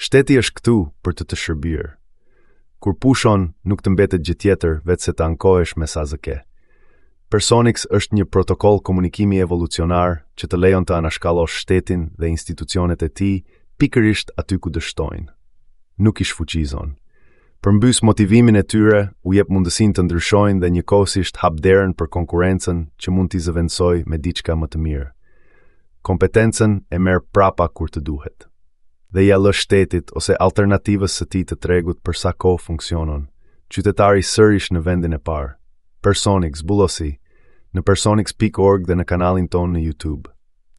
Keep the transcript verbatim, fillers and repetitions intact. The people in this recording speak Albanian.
Shteti është këtu për të të shërbyer. Kur pushon, nuk të mbetet gjë tjetër veçse të ankohesh me sa zë ke. Personix është një protokoll komunikimi evolucionar që të lejon të anashkallosh shtetin dhe institucionet e tij pikërisht aty ku dështojnë. Nuk i shfuqizon. Përmbys motivimin e tyre, u jep mundësinë të ndryshojnë dhe njëkohësisht hap derën për konkurrencën që mund t'i zëvendësoj me diçka më të mirë. Kompetencën e merr prapa kur të duhet. Dhe ia lë shtetit ose alternativës së tij të tregut për sa kohë funksionon. Qytetari sërish në vendin e parë. Personix, zbulosi, në personix pikë org dhe në kanalin tonë në YouTube.